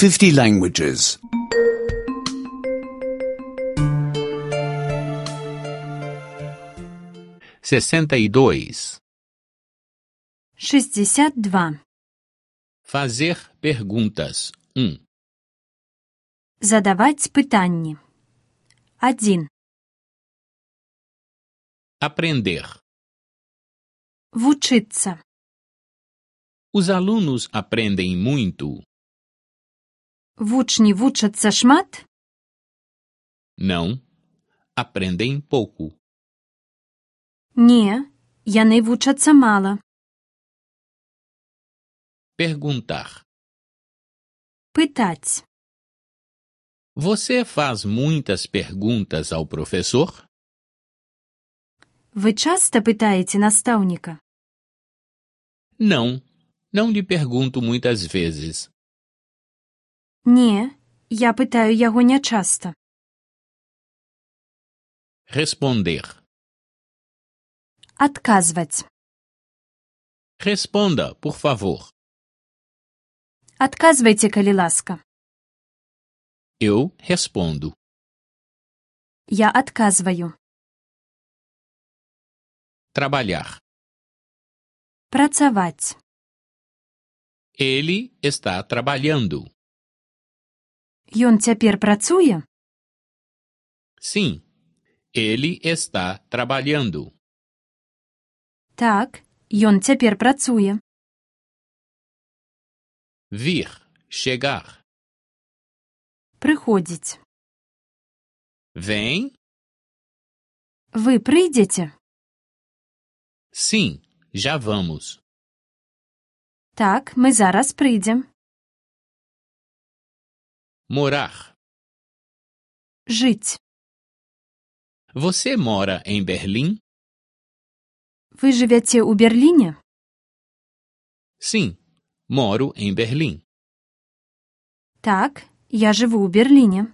50 languages. 62. 62. Fazer perguntas. 1. Задаваць пытанні. 1. Aprender. Вучыцца. Os alunos aprendem muito? Вучні вучацца шмат? Não. Aprendem pouco. Не, яны вучацца мала. Perguntar. Пытаць. Você faz muitas perguntas ao professor? Вы часта пытаеце настаўніка? Não. Não lhe pergunto muitas vezes. Не, я пытаю яго нячаста. Responder. Адказваць. Responda, por favor. Адказвайце, калі ласка. Eu respondo. Я адказваю. Trabalhar. Працаваць. Ele está trabalhando. Ён цяпер працуе? Sim. Ele está trabalhando. Так, ён цяпер працуе. Vir, chegar. Прыходзіць. Vem? Вы прыйдзеце? Sim, já vamos. Так, мы зараз прыйдзем. Morar. Жыць. Você mora em Berlim? Вы жывяце ў Берліне? Sim, moro em Berlim. Так, я жыву ў Берліне.